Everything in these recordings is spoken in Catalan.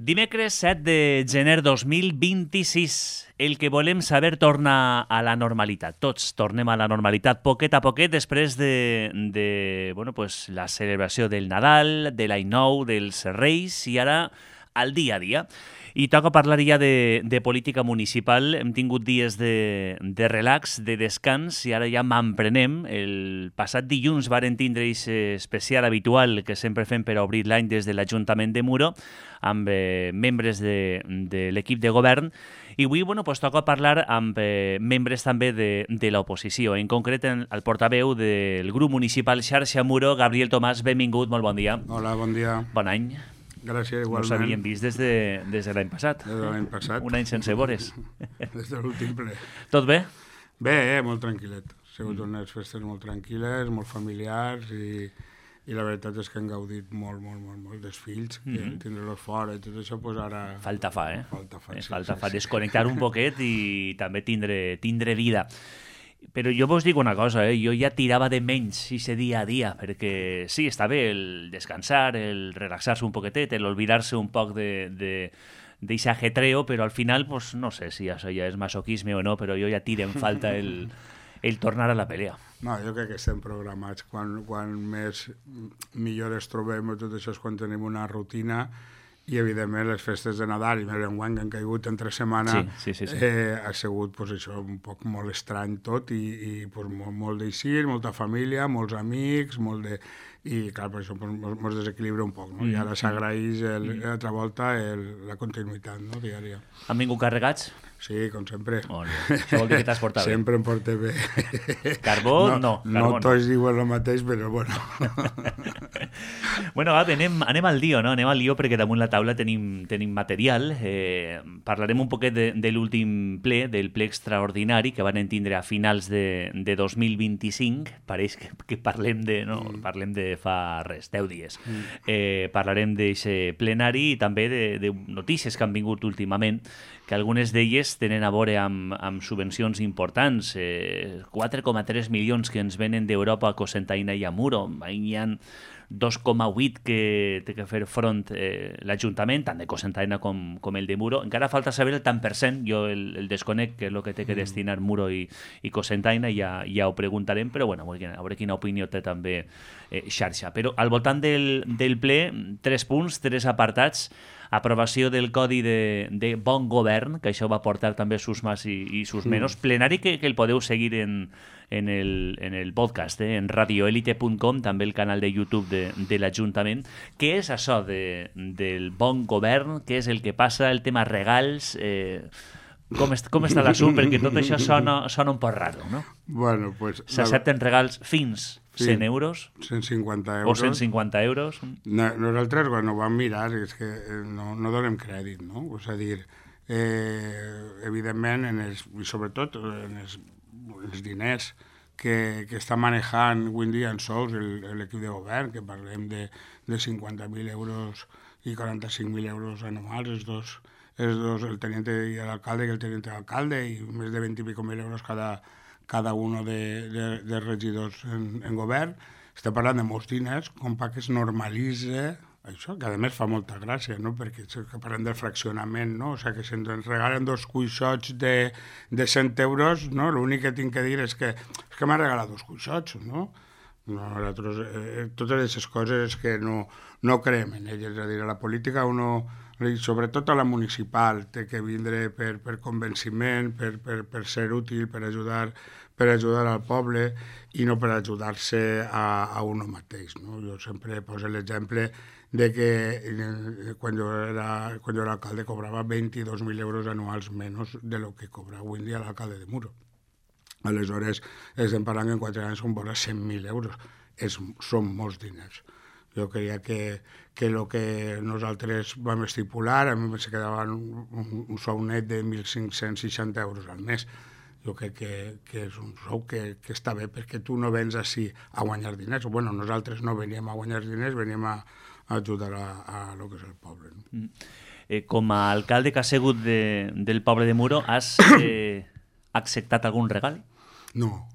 Dimecres 7 de gener 2026. El que volem saber torna a la normalitat. Tots tornem a la normalitat poquet a poquet després de la celebració del Nadal, de l'Any Nou, dels Reis i ara al dia a dia. I toca parlar ja de política municipal. Hem tingut dies de relax, de descans, i ara ja m'emprenem. El passat dilluns varen tindre aquest especial habitual que sempre fem per obrir l'any des de l'Ajuntament de Muro, amb membres de l'equip de govern. I avui toca parlar amb membres també de l'oposició, en concret el portaveu del grup municipal Xarxa Muro, Gabriel Tomàs. Benvingut, molt bon dia. Hola, bon dia. Bon any. Gràcies, igualment. No s'havien vist des de l'any passat. Des de l'any passat. Un any sense vores. Des de l'últim ple. Tot bé? Bé, molt tranquil·let. Ha sigut unes festes molt tranquil·les, molt familiars i la veritat és que han gaudit molt dels fills, que tindre-los fora i tot això, doncs ara... Falta fa, eh? Falta fa. Desconnectar un poquet i també tindre vida. Però jo vos dic una cosa, jo ja tirava de menys ese dia a dia, perquè sí, està bé el descansar, el relaxar-se un poquetet, el olvidar-se un poc d'eixe ajetreo, però al final, pues, no sé si això ja és masoquisme o no, però jo ja tiro en falta el tornar a la pelea. No, jo crec que estem programats. Quan més millor es trobem, tot això és quan tenim una rutina. I, evidentment, les festes de Nadal i més enguany que han caigut entre setmana sí. Ha sigut pues, això, un poc molt estrany tot i pues, molt d'eixir, molta família, molts amics, i clar, per això ens desequilibra un poc, no? I ara s'agraeix l'altra volta la continuïtat, no? Diària. Han vingut carregats? Sí, com sempre. Això vol dir que t'has portat bé. Sempre em porté bé. Carbó, no. No tots diuen el mateix, però bueno. Bueno, anem al lío, no? Anem al lío perquè damunt la taula tenim material. Parlarem un poquet de l'últim ple, del ple extraordinari que van tindre a finals de 2025. Pareix que parlem de fa res, 10 dies. Parlarem d'aquest plenari i també de notícies que han vingut últimament, que algunes d'elles tenen a veure amb subvencions importants. 4,3 milions que ens venen d'Europa a Cocentaina i a Muro. Hi ha 2,8 que té que fer front l'Ajuntament, tant de Cocentaina com el de Muro. Encara falta saber el tant per cent, jo el desconec, que és el que té que destinar Muro i Cocentaina, ja ho preguntarem, però bueno, a veure quina opinió té també Xarxa. Però al voltant del ple, 3 punts, 3 apartats. Aprovació del Codi de Bon Govern, que això va portar també sus más i sus menos. Plenari que el podeu seguir en el podcast, en radioelite.com, també el canal de YouTube de l'Ajuntament. Què és això del Bon Govern? Què és el que passa? El tema regals? Com està l'assumpte? Perquè tot això sona un poc raro, no? Bueno, pues... S'accepten regals fins 100 euros? 150 euros. O 150 euros? Nosaltres, quan ho vam mirar, és que no donem crèdit, no? És a dir, evidentment, i sobretot en els diners que està manejant avui en dia en sous l'equip de govern, que parlem de 50.000 euros i 45.000 euros anuals, els dos, el teniente i l'alcalde i el teniente d'alcalde, i més de 20 i pico mil euros cada un de regidors en govern. Estem parlant de molts diners, com perquè es normalitza això, que a més fa molta gràcia, no? Perquè parlem del fraccionament, no? O sigui, que si ens regalen 2 cuixots de 100 euros, no? L'únic que tinc que dir és que m'ha regalat 2 cuixots, no? Nosaltres, totes aquestes coses que no creiem en elles, és a dir, a la política sobretot a la municipal, té que vindre per convenciment, per ser útil, per ajudar al poble i no per ajudar-se a un mateix, no? Jo sempre poso l'exemple de que quan jo era alcalde cobrava 22.000 euros anuals menys de lo que cobra avui en dia l'alcalde de Muro. Aleshores, estem parlant que en 4 anys són vora 100.000 euros. Són molts diners. Jo creia que el que nosaltres vam estipular, a mi se quedava un sou net de 1.560 euros al mes. Jo crec que és un sou que està bé, perquè tu no vens així a guanyar diners. Bueno, nosaltres no veníem a guanyar diners, veníem a ajudar a lo que és el poble. No? Com a alcalde que has sigut del poble de Muro, has acceptat algun regal? No,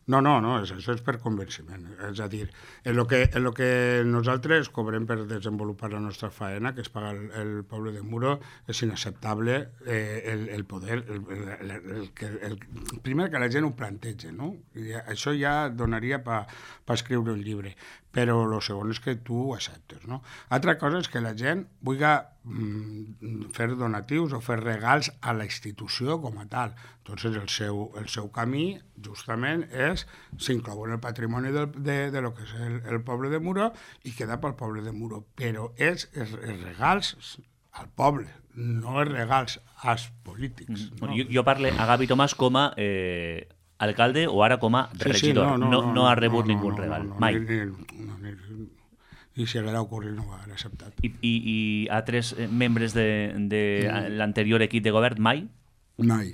No, això és per convenciment. És a dir, en lo que nosaltres cobrem per desenvolupar la nostra faena, que es paga el poble de Muro, és inacceptable el poder, primer que la gent ho plantegi, no? I això ja donaria per escriure un llibre, però el segon és que tu ho acceptes, no? Altra cosa és que la gent vulgui fer donatius o fer regals a la institució com a tal. Entonces el seu camí justament s'inclou en el patrimoni de lo que és el poble de Muro i queda pel poble de Muro, però és els regals al poble, no els regals als polítics. No? Jo parlo a Gavi Tomàs com a alcalde o ara com a regidor. No ha rebut ningú regal, mai. I si haguera ocorrit no ho haguera acceptat. I altres membres de l'anterior equip de govern, mai? Mai.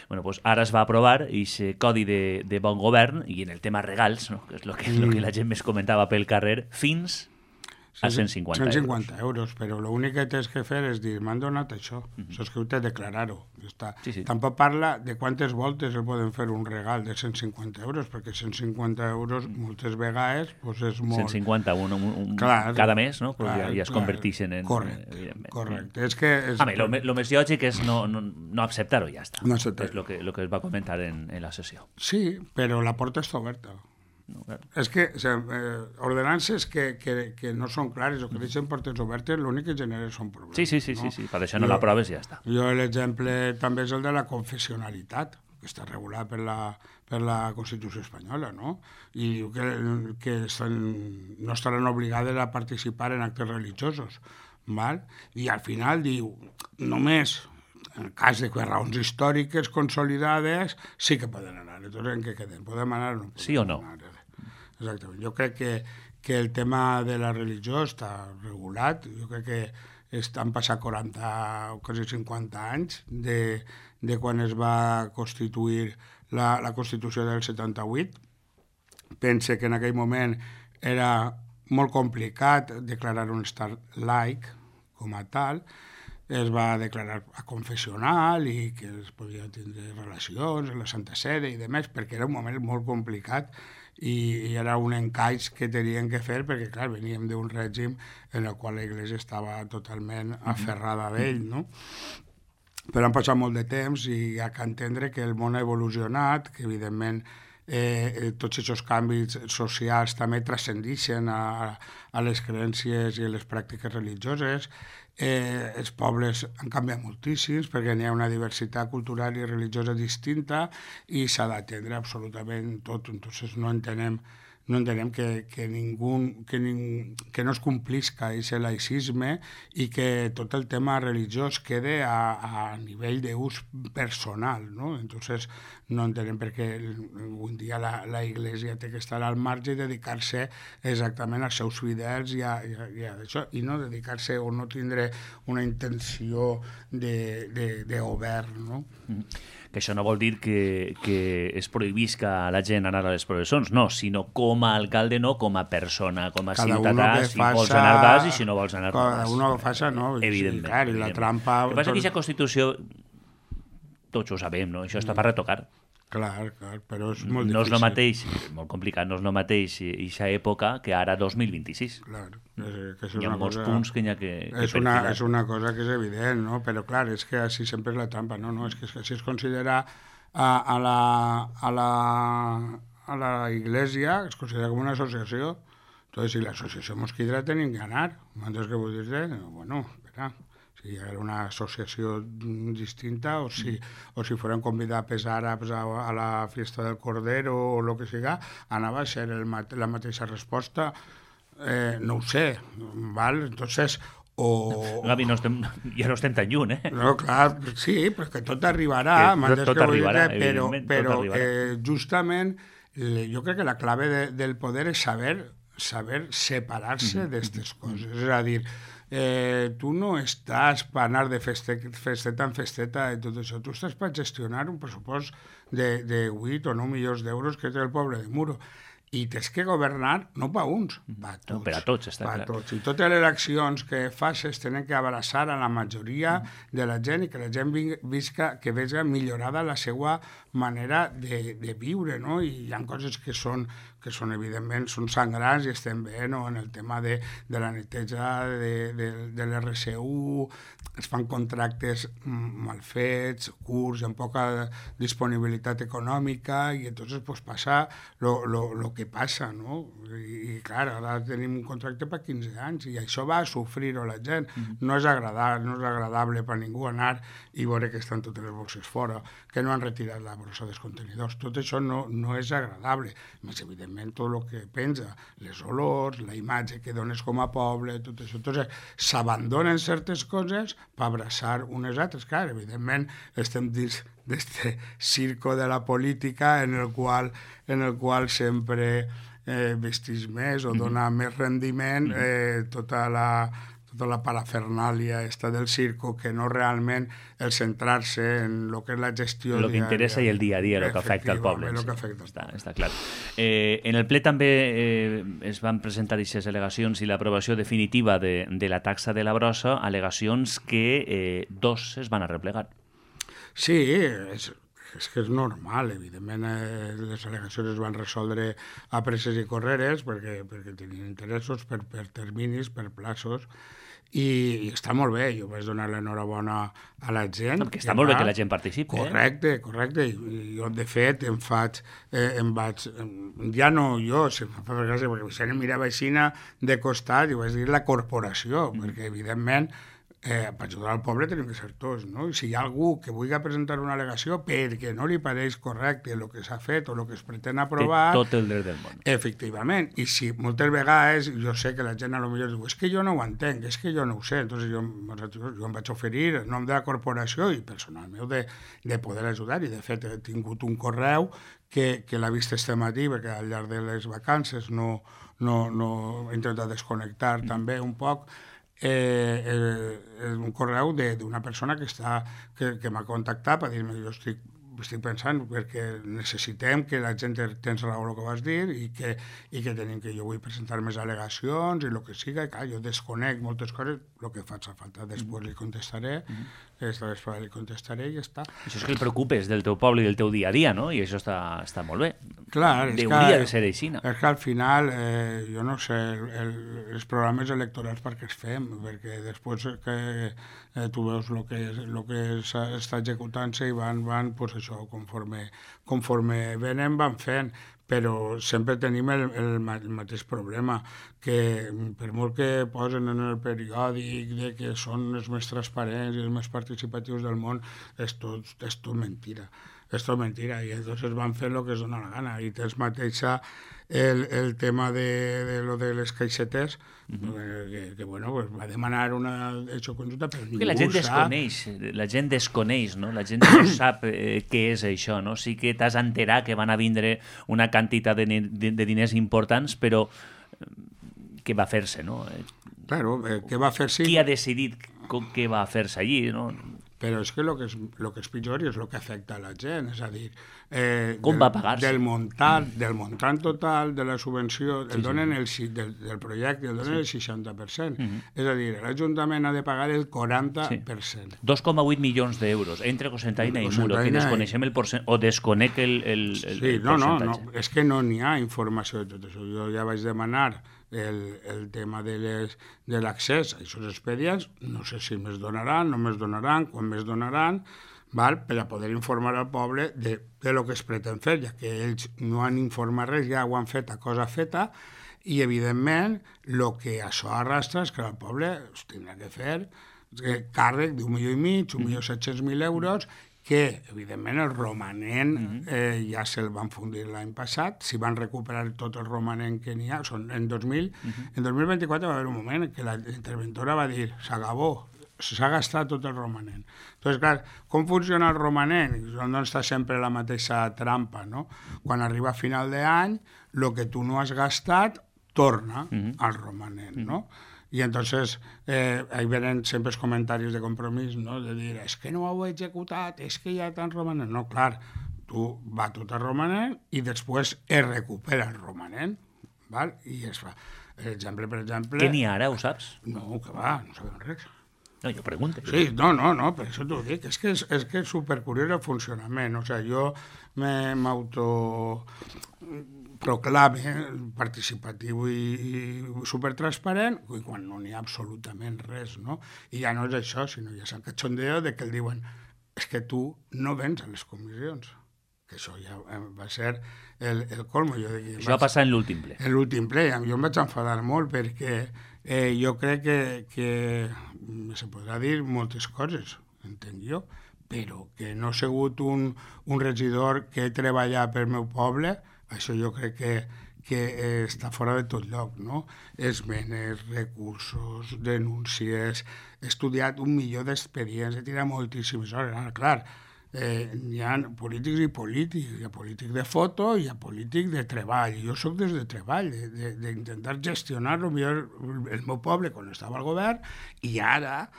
Bueno, pues ara es va aprovar aquest codi de bon govern i en el tema regals, no? Que és el que la gent més comentava pel carrer, fins a 150 euros. Però l'únic que tens que fer és dir, m'han donat això. Això és que heu de declarar-ho. Sí. Tampoc parla de quantes voltes el poden fer un regal de 150 euros, perquè 150 euros moltes vegades pues és molt... 150 cada mes, no? Pues ja es converteixen en... Correcte. És que... Lo més lògic és no acceptar-ho, ja està. No acceptar. És el que es va comentar en la sessió. Sí, però la porta està oberta. No, claro. És que ordenances que no són clares o que deixen portes obertes, l'únic que genera són problemes. Sí. Per això no l'aproves i ja està. L'exemple també és el de la confessionalitat, que està regulat per la Constitució espanyola, no? I diu que no estaran obligades a participar en actes religiosos, val? I al final diu, només en el cas de que raons històriques consolidades sí que poden anar. Entonces, en què quedem? Podem anar o no? Sí o no? Anar? Exactament. Jo crec que el tema de la religió està regulat. Jo crec que han passat 40 o quasi 50 anys de quan es va constituir la Constitució del 78. Pense que en aquell moment era molt complicat declarar un estat laic com a tal. Es va declarar confessional i que es podia tindre relacions en la Santa Sede i demés, perquè era un moment molt complicat i era un encaix que tenien que fer perquè, clar, veníem d'un règim en el qual l'Església estava totalment aferrada d'ell, no? Però han passat molt de temps i hi ha que entendre que el món ha evolucionat, que evidentment tots aquests canvis socials també transcendeixen a les creences i a les pràctiques religioses. Els pobles han canviat moltíssims perquè n'hi ha una diversitat cultural i religiosa distinta i s'ha d'atendre absolutament tot. Entonces no entenem que no es complisca aquest laïcisme i que tot el tema religiós quede a nivell d'ús personal, no? Entonces no entenem per què un dia la Iglesia té que estar al marge i dedicar-se exactament als seus fidels i a això, i no dedicar-se o no tindre una intenció de govern, no? Que això no vol dir que es prohibisca a la gent anar a les processons, no, sinó com a alcalde no, com a persona, com a ciutadà, si vols anar vas i si no vols anar vas. Cada uno que faça, no? Evidentment. Sí, clar, i la trampa... El que passa és que aquesta Constitució, tots ho sabem, no? Això està per retocar. Clar, però és molt difícil. No és el mateix, molt complicat, no és el mateix aquesta època que ara 2026. Clar, hi ha molts punts que hi ha que perfilar. És una cosa que és evident, no? Però clar, és que així sempre és la trampa, no? És que si es considera a la Iglesia, es considera com una associació. Entonces, si l'associació mosquidra tenim que anar. Entonces, què vull dir? Bueno, espera... si era una associació distinta o si fueran convidats àrabs a la fiesta del Cordero o el que siga, anava a ser la mateixa resposta. No ho sé, val? Entonces... Gavi, ja no estem tan lluny, eh? No, clar, sí, però que tot arribarà. Tot arribarà, evidentment, però justament jo crec que la clave del poder és saber separar-se d'aquestes coses. És a dir, tu no estàs per anar de festeta en festeta i tot això, tu estàs per gestionar un pressupost de 8 o 9 milions d'euros que té el poble de Muro. i tens que governar no per uns, per tots. No, per a tots, està clar. I totes les eleccions que facis tenen que abraçar a la majoria de la gent i que la gent que vegi millorada la seva manera de viure, no? I hi ha coses que són evidentment, són sangrants i estem bé, no? En el tema de la neteja de l'RSU, es fan contractes mal fets, curts, amb poca disponibilitat econòmica, i entonces pues, passa lo que passa, no? I clar, ara tenim un contracte per 15 anys i això va a sofrir-ho la gent. No és agradable per ningú anar i veure que estan totes les bosses fora, que no han retirat la bossa dels contenidors. Tot això no és agradable. Més evidentment, tot el que penja, les olors, la imatge que dones com a poble, tot això. Entonces, s'abandonen certes coses per abraçar unes altres. Clar, evidentment, estem dins d'este circo de la política en el qual sempre vestís més o dona més rendiment tota la parafernàlia esta del circo, que no realment el centrar-se en el que és la gestió el que interessa i el dia a dia, el que afecta al poble. Està clar. En el ple també es van presentar aquestes al·legacions i l'aprovació definitiva de la taxa de la brossa, al·legacions que dos es van arreplegar. Sí, és que és normal, evidentment les al·legacions es van resoldre a presses i correres perquè tenien interessos per terminis, per plaços, i està molt bé. Jo vaig donar l'enhorabona a la gent. Perquè està molt bé que la gent participi. Correcte. I jo, de fet, em vaig... Ja no jo, se em fa gràcia, perquè se em mirava així de costat i vaig dir la corporació, perquè, evidentment, per ajudar al poble tenim que ser tots, no? I si hi ha algú que vulgui presentar una al·legació perquè no li pareix correcte el que s'ha fet o el que es pretén aprovar... Té tot el dret del món. Efectivament. I si moltes vegades jo sé que la gent a lo millor diu és que jo no ho entenc, és que jo no ho sé. Entonces jo em vaig oferir en nom de la corporació i personal meu de poder ajudar, i de fet he tingut un correu que l'ha vist este matí, perquè al llarg de les vacances no he intentat desconnectar també un poc, un correu d'una persona que m'ha contactat per dir-me jo estic pensant perquè necessitem que la gent tens raó el que vas dir i que jo vull presentar més al·legacions i el que siga, i clar, jo desconec moltes coses, el que faig a falta després li contestaré, esta vegada li contestaré i ja està. Això és que el preocupes del teu poble i del teu dia a dia, no? I això està molt bé. Clar, hauria de ser així. És que al final, jo no sé, els programes electorals per què es fem, perquè després que tu veus el que està executant-se i van pues això, conforme venen van fent, però sempre tenim el mateix problema, que per molt que posen en el periòdic de que són els més transparents i els més participatius del món, és tot mentira. És tot mentira, i entonces van fer el que es dona la gana. I tens mateixa el tema de lo de les caixetes, que bueno, pues va demanar una hecho conjunta, però ningú la gent desconeix, no? La gent no sap què és això, no? Sí que t'has enterat que van a vindre una quantitat de diners importants, però què va fer-se, no? Claro, què va fer-se? Qui ha decidit què va fer-se allí, no? Però és que el que és pitjor és el que afecta a la gent, és a dir... Com va pagar-se? Del muntant total de la subvenció, del projecte, el donen el 60%. És a dir, l'Ajuntament ha de pagar el 40%. 2,8 milions d'euros, entre Cocentaina i Muro, que desconeixem el percentatge, o desconec el percentatge. No, és que no n'hi ha informació de tot això. Jo ja vaig demanar el tema de l'accés a aquests expedients, no sé si més donaran, no més donaran, quan més donaran, per a poder informar al poble de lo que es pretén fer, ja que ells no han informat res, ja ho han fet a cosa feta, i evidentment el que això arrastra és que el poble es tindrà que fer càrrec d'1,5 milió, 1.700.000 euros, que, evidentment, el romanent ja se'l van fundir l'any passat, si van recuperar tot el romanent que n'hi ha, en 2024 va haver un moment que la interventora va dir s'acabó, s'ha gastat tot el romanent. Entonces, clar, com funciona el romanent? On està sempre la mateixa trampa, no? Quan arriba a final d'any, el que tu no has gastat torna al romanent, no? Y entonces ahí vienen sempre els comentaris de compromís, no? De dir, és que no ho he executat, és que ja tan romanent. No, clar, tu va tot a romanent i després es recupera el romanent, val? I es fa. Per exemple... Què n'hi ha ara, ho saps? No, que va, no sabem res. No, jo pregunto. Sí, no, per això t'ho dic. És que és supercuriós el funcionament. O sigui, jo m'autoproclame participatiu i supertransparent i quan no n'hi ha absolutament res, no? I ja no és això, sinó ja és el cachondeo de que el diuen és que tu no vens a les comissions. Que això ja va ser el colmo. Això va passar en l'últim ple. En l'últim ple. Jo em vaig enfadar molt perquè jo crec que se podrà dir moltes coses, entenc jo, però que no ha sigut un regidor que he treballat pel meu poble, això jo crec que està fora de tot lloc, no? Esmenes, recursos, denúncies, he estudiat 1.000.000 d'expedients, he tirat moltíssimes hores. Ara, clar, hi ha polítics i polítics, hi ha polític de foto i hi ha polític de treball. Jo sóc des de treball, d'intentar gestionar millor el meu poble quan estava al govern i ara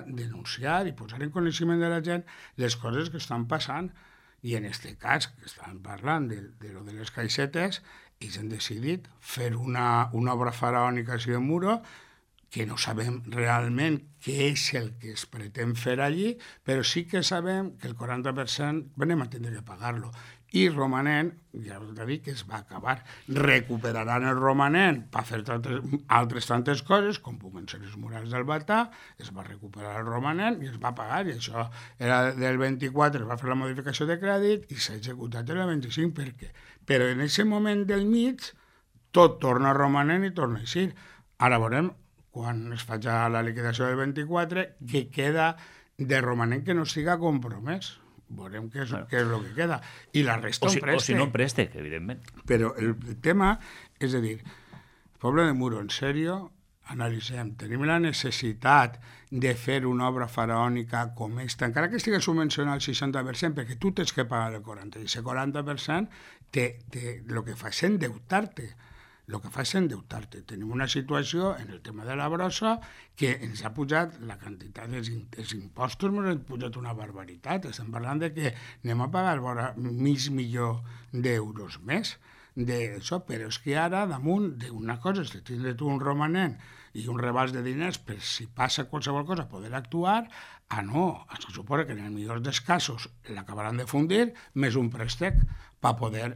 denunciar i posar en coneixement de la gent les coses que estan passant. I en aquest cas, que estan parlant de les caixetes, ells han decidit fer una obra faraònica així de muro que no sabem realment què és el que es pretén fer allí, però sí que sabem que el 40% venim a tindre que pagar-lo. I romanent, ja us he dit que es va acabar. Recuperaran el romanent per fer altres tantes coses, com puguen ser els murals del Batà, es va recuperar el romanent i es va pagar, i això era del 24, es va fer la modificació de crèdit i s'ha executat el 25, per què? Però en aquest moment del mig tot torna a romanent i torna a eixir. Ara veurem quan es faci la liquidació del 24, que queda de romanent que no estiga compromès. Veurem què és el que queda. I la resta un préstec. O si no un préstec, evidentment. Però el tema és a dir, el poble de Muro, en sèrio, analitzem, tenim la necessitat de fer una obra faraònica com esta, encara que estigui subvencionat al 60%, perquè tu tens que pagar el 40%, i aquest 40% el que fa és endeutar-te. El que fa és endeutar-te. Tenim una situació en el tema de la brossa que ens ha pujat la quantitat dels impostos, ens ha pujat una barbaritat. Estem parlant de que anem a pagar vora $500.000 d'euros més d'això, però és que ara, damunt d'una cosa, és de tindre tu un romanent i un rebàs de diners per si passa qualsevol cosa poder actuar, no, se suposa que en el millor dels casos l'acabaran de fundir, més un préstec per poder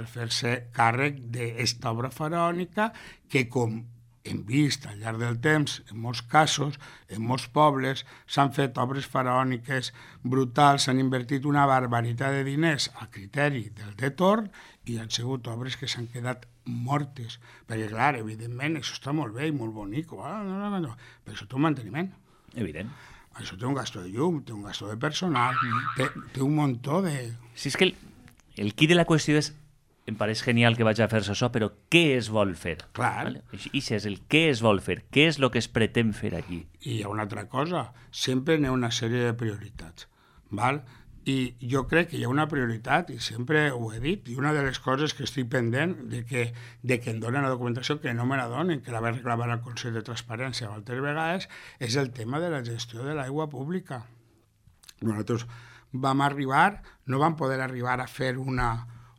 fer-se càrrec d'esta obra faraònica que, com hem vist al llarg del temps, en molts casos, en molts pobles, s'han fet obres faraòniques brutals, s'han invertit una barbaritat de diners a criteri del retorn i han sigut obres que s'han quedat mortes. Perquè, clar, evidentment, això està molt bé i molt bonic, però això té un manteniment. Evident. Això té un gasto de llum, té un gasto de personal, té un muntó de... Si és que el quid de la qüestió és, em pareix genial que vaig a fer-se això, però què es vol fer? Clar. Vale? I això és el què es vol fer, què és el que es pretén fer aquí. I hi ha una altra cosa, sempre n'hi ha una sèrie de prioritats, val? I jo crec que hi ha una prioritat, i sempre ho he dit, i una de les coses que estic pendent de que em donen la documentació, que no me la donen, que la vaig reclamar al Consell de Transparència altres vegades, és el tema de la gestió de l'aigua pública. Nosaltres vam arribar, no vam poder arribar a fer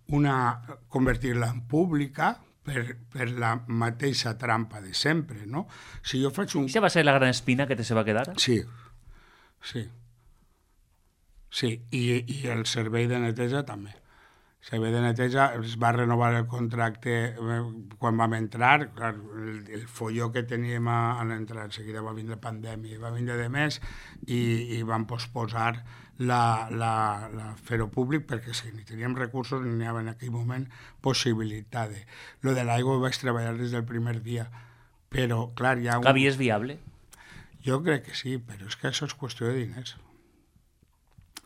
convertir-la en pública per la mateixa trampa de sempre, no? Si jo faig un... Això va ser la gran espina que te se va quedar? Sí. Sí, i el servei de neteja també. El servei de neteja es va renovar el contracte quan vam entrar, clar, el folló que teníem a l'entrar, en seguida va vindre pandèmia, va vindre de més i vam posposar la fer-ho públic perquè si ni teníem recursos ni n'hi havia en aquell moment possibilitat de... Lo de l'aigua ho vaig treballar des del primer dia, però clar, hi ha... Gavi és viable? Jo crec que sí, però és que això és qüestió de diners.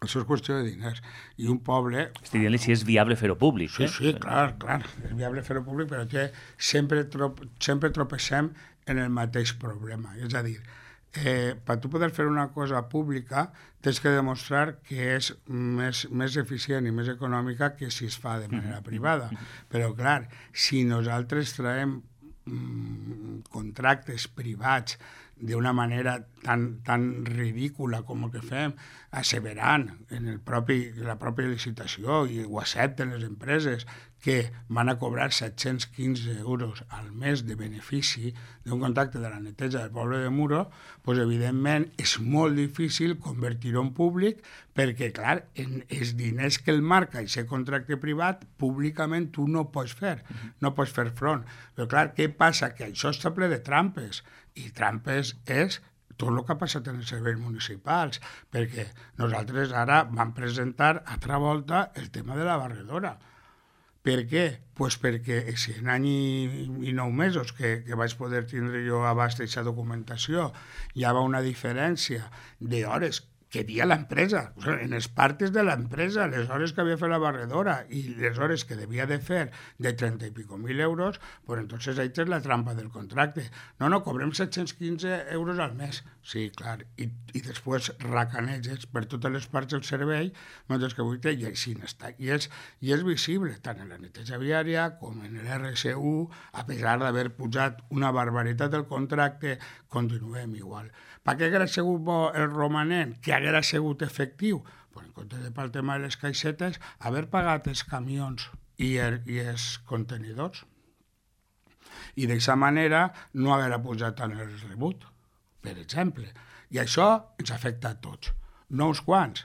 Això és qüestió de diners. I un poble... Estic dient-li si és viable fer-ho públic. Sí, clar. És viable fer-ho públic, però que sempre tropecem en el mateix problema. És a dir, per tu poder fer una cosa pública tens que demostrar que és més eficient i més econòmica que si es fa de manera privada. Però, clar, si nosaltres traiem contractes privats d'una manera tan ridícula com el que fem, asseverant en la pròpia licitació, i ho accepten les empreses, que van a cobrar 715 euros al mes de benefici d'un contracte de la neteja del poble de Muro, doncs evidentment és molt difícil convertir-ho en públic, perquè, clar, en els diners que el marca aquest contracte privat, públicament tu no pots fer front. Però, clar, què passa? Que això està ple de trampes, i trampes és tot el que ha passat en els serveis municipals, perquè nosaltres ara vam presentar altra volta el tema de la barredora. Per què? Pues perquè si en any i 9 mesos que vaig poder tindre jo abast d'aquesta documentació hi havia una diferència d'hores que dia l'empresa, o sigui, en els partes de l'empresa, les hores que havia fet la barredora i les hores que devia de fer de 30 i pico mil euros, pues entonces ahí és la trampa del contracte. No, cobrem 715 euros al mes. Sí, clar, i després racaneges per totes les parts del servei, mentre que avui i així està. I és visible, tant en la neteja viària com en l'RSU, a pesar d'haver pujat una barbaritat del contracte, continuem igual. Per què hauria sigut bo el romanent? Que hauria sigut efectiu? Pues en compte de pel tema de les caixetes, haver pagat els camions i els contenidors. I d'aquesta manera no hauria pujat tant el rebut, per exemple. I això ens afecta a tots, no uns quants,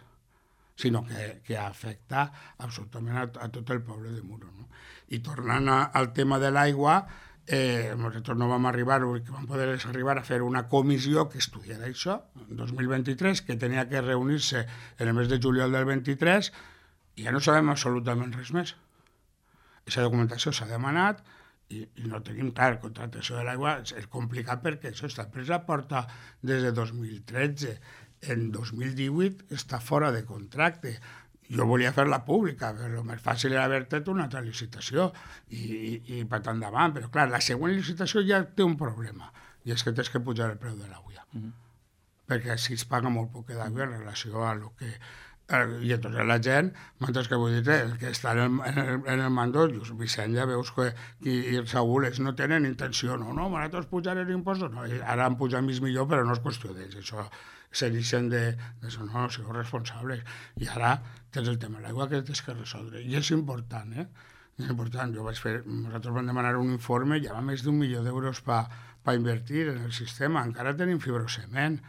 sinó que afecta absolutament a tot el poble de Muro. No? I tornant al tema de l'aigua, nosaltres no vam arribar, que vam poder arribar a fer una comissió que estudiara això, en 2023, que tenia que reunir-se en el mes de juliol del 23, i ja no sabem absolutament res més. Aquesta documentació s'ha demanat i no tenim, clar, contractació de l'aigua és complicat perquè això, esta empresa porta des de 2013, en 2018 està fora de contracte. Jo volia fer-la pública, però el més fàcil era haver fet una altra licitació i per tant endavant. Però, clar, la següent licitació ja té un problema, i és que tens que pujar el preu de l'aigua. Perquè així es paga molt poc d'aigua en relació a lo que... I entonces la gent, mentre que vull dir, el que està en el mandó, Vicent, ja veus que i el Saúl no tenen intenció, no, nosaltres pujarem impostos, no, ara han pujat més millor, però no és qüestió d'ells, això se deixen de no, sigueu responsables. I ara tens el tema de l'aigua que tens que resoldre. I és important, És important. Nosaltres vam demanar un informe, hi ha més d'1 milió d'euros per invertir en el sistema. Encara tenim fibrocement.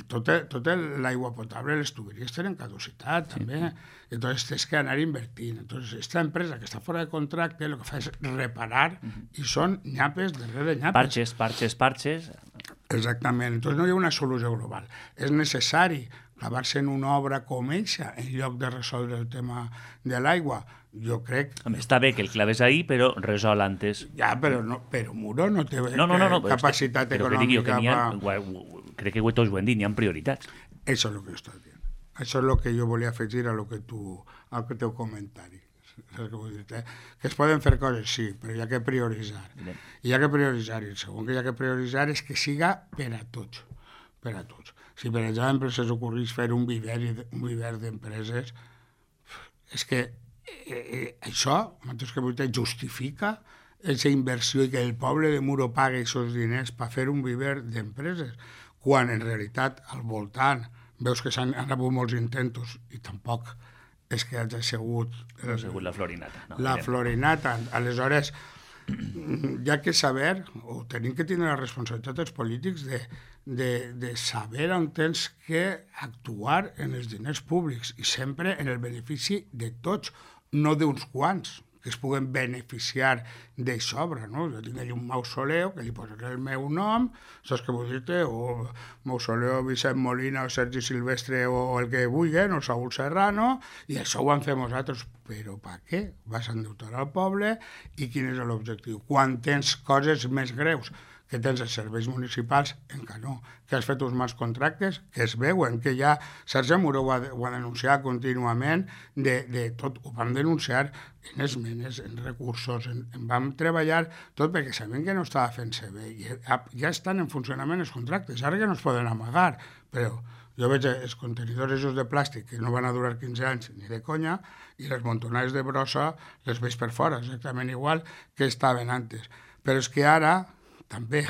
Tota l'aigua potable, les tuberies tenen caducitat, també. Entonces tens que anar invertint. Entonces, esta empresa que està fora de contracte, el que fa és reparar, i són nyapes darrere nyapes. Parches. Exactament. Entonces no hi ha una solució global. És necessari clavar-se en una obra com eixa en lloc de resoldre el tema de l'aigua. Jo crec... Està bé que el claves ahí, però resol antes. Ja, però Muro no té capacitat econòmica crec que tots ho hem dit, n'hi ha prioritats. Això és el que jo estic dient. Això és el que jo volia afegir al teu comentari. Que es poden fer coses, sí, però hi ha que prioritzar. I el segon que hi ha que prioritzar és que siga per a tots. Si, per exemple, s'us ocorrís fer un viver d'empreses, és que això, justifica aquesta inversió i que el poble de Muro pagui aquests diners per fer un viver d'empreses, quan en realitat al voltant veus que s'han rebut molts intentos i tampoc és que hagi sigut... No ha sigut la florinata. No? La florinata. Aleshores, hi ha que saber, o tenim que tenir la responsabilitat dels polítics de saber on tens que actuar en els diners públics i sempre en el benefici de tots, no d'uns quants que es puguen beneficiar de sobre, no? Jo tinc allà un mausoleu que li posaré el meu nom, saps què vull dir-te? O mausoleu Vicent Molina o Sergi Silvestre o el que vulguin, o Saúl Serrano, i això ho han fet nosaltres. Però per què? Vas endeutar al poble i quin és l'objectiu? Quan tens coses més greus, que tens els serveis municipals, encara no, que has fet uns mals contractes, que es veuen, que ja Sergi Muro ho ha denunciat contínuament, de tot, ho vam denunciar en esmenes, en recursos, en vam treballar tot perquè sabem que no estava fent-se bé, i ja estan en funcionament els contractes, ara que no es poden amagar, però jo veig els contenidors de plàstic que no van a durar 15 anys ni de conya, i les montonades de brossa les veig per fora, exactament igual que estaven antes. Però és que ara també,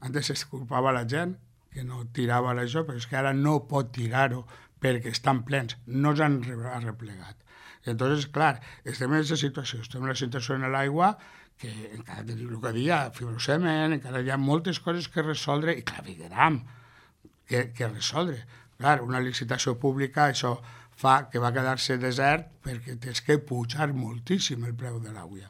antes es culpava la gent que no tirava això, però és que ara no pot tirar-ho perquè estan plens, no s'han arreplegat. Entonces, clar, estem en aquesta situació, estem en la situació en l'aigua que encara tenim el que dia, fibrocement, encara hi ha moltes coses que resoldre i clavegueram que resoldre. Clar, una licitació pública, això fa que va quedar-se desert perquè tens que pujar moltíssim el preu de l'aigua.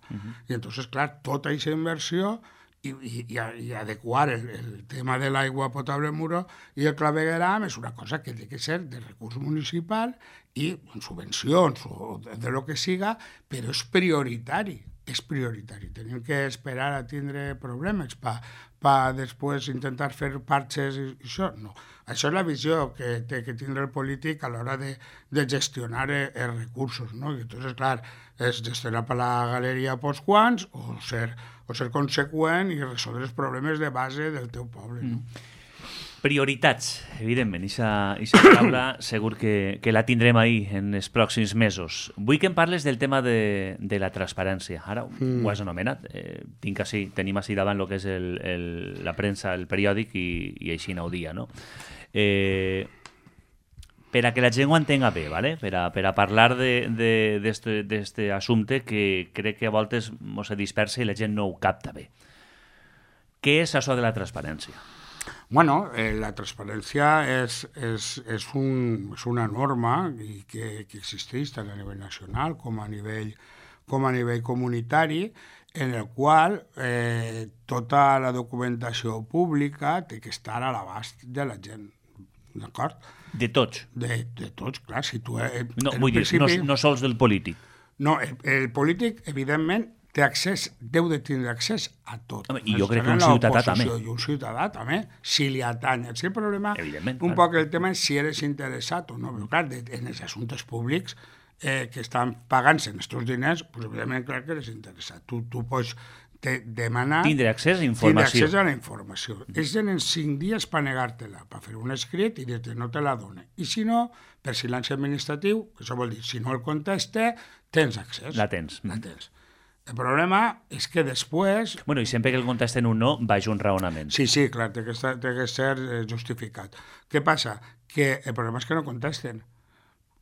I entonces, clar, tota aquesta inversió i adequar el tema de l'aigua potable al Muro i el clavegueram és una cosa que té que ser de recurs municipal i en subvencions o de lo que siga, però és prioritari. És prioritari. Tenim que esperar a tindre problemes per després intentar fer parxes i això. No. Això és la visió que té que tindre el polític a l'hora de gestionar els recursos. No? I entonces, clar, és gestionar per la galeria pels quants o ser conseqüent i resoldre els problemes de base del teu poble. No? Prioritats, evidentment, aquesta paraula segur que la tindrem ahí en els pròxims mesos. Vull que em parles del tema de la transparència. Ara ho has anomenat. Tenim així davant el que és la premsa, el periòdic, i així no ho dia, no? Per a que la gent ho entenga bé, ¿vale? Per a parlar d'aquest assumpte que crec que a voltes mos se dispersa i la gent no ho capta bé. Què és això de la transparència? Bueno, la transparència és una norma que existeix tant a nivell nacional com a nivell comunitari, en el qual tota la documentació pública té que estar a l'abast de la gent. D'acord? De tots? De tots, clar. Si tu, no, vull dir, no sols del polític. No, el polític, evidentment, té accés, deu de tindre accés a tot. Home, i jo crec que un ciutadà també. I un ciutadà també, si li atanya. Si el problema, un poc el tema és si eres interessat o no. Però clar, en els assumptes públics que estan pagant-se en aquests diners, pues, evidentment, clar que eres interessat. Tu pots demanar... Tindre accés a informació. Tindre accés a la informació. Ells tenen 5 dies per negar-te-la, per fer un escrit i dir-te no te la dona. I si no, per silenci administratiu, que això vol dir, si no el conteste, tens accés. La tens. El problema és que després... Bueno, i sempre que el contesten un no, vaig un raonament. Sí, clar, té que ser justificat. Què passa? Que el problema és que no contesten.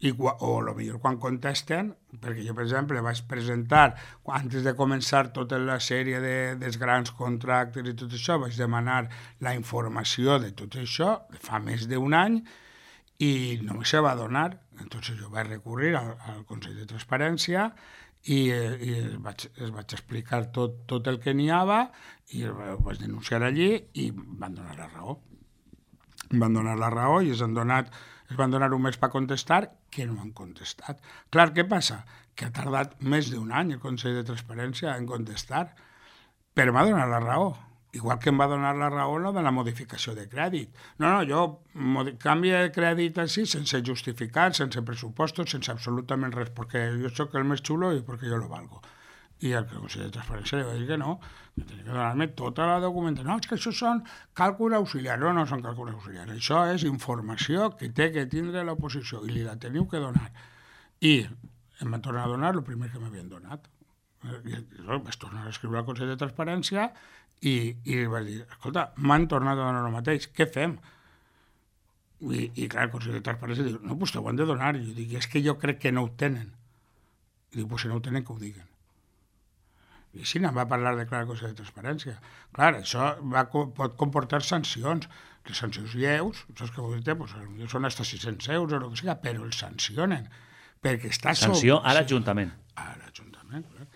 O potser quan contesten, perquè jo, per exemple, vaig presentar, antes de començar tota la sèrie dels grans contractes i tot això, vaig demanar la informació de tot això, fa més d'un any, i no me se va donar. Entonces jo vaig recurrir al Consell de Transparència i es vaig explicar tot el que n'hi havia i ho vaig denunciar allí i van donar la raó. Van donar la raó i es van donar un mes per contestar, que no han contestat. Clar, què passa? Que ha tardat més d'un any el Consell de Transparència en contestar, però m'ha donat la raó. Igual que em va donar la raó de la modificació de crèdit. No, jo canvio de crèdit així, sense justificar, sense pressupostos, sense absolutament res, perquè jo soc el més xulo i perquè jo lo valgo. I el Consell de Transparència li va dir que no, que tenia que donar-me tota la documentació. No, és que això són càlculs auxiliars. No són càlculs auxiliars. Això és informació que té que tindre l'oposició i li la teniu que donar. I em van tornar a donar el primer que m'havien donat. I vaig tornar a escriure al Consell de Transparència i vaig dir, escolta, m'han tornat a donar el mateix, què fem? I clar, el Consell de Transparència diu, no, doncs t'ho han de donar. I jo dic, és que jo crec que no ho tenen. I dic, doncs si no ho tenen, que ho diguen. I així va parlar de clar el Consell de Transparència. Clar, això pot comportar sancions. Les sancions lleus, saps què vol dir? Pues, són fins a 600 euros o el que sigui, però els sancionen. Perquè estàs... Sanció a l'Ajuntament. A l'Ajuntament, clar.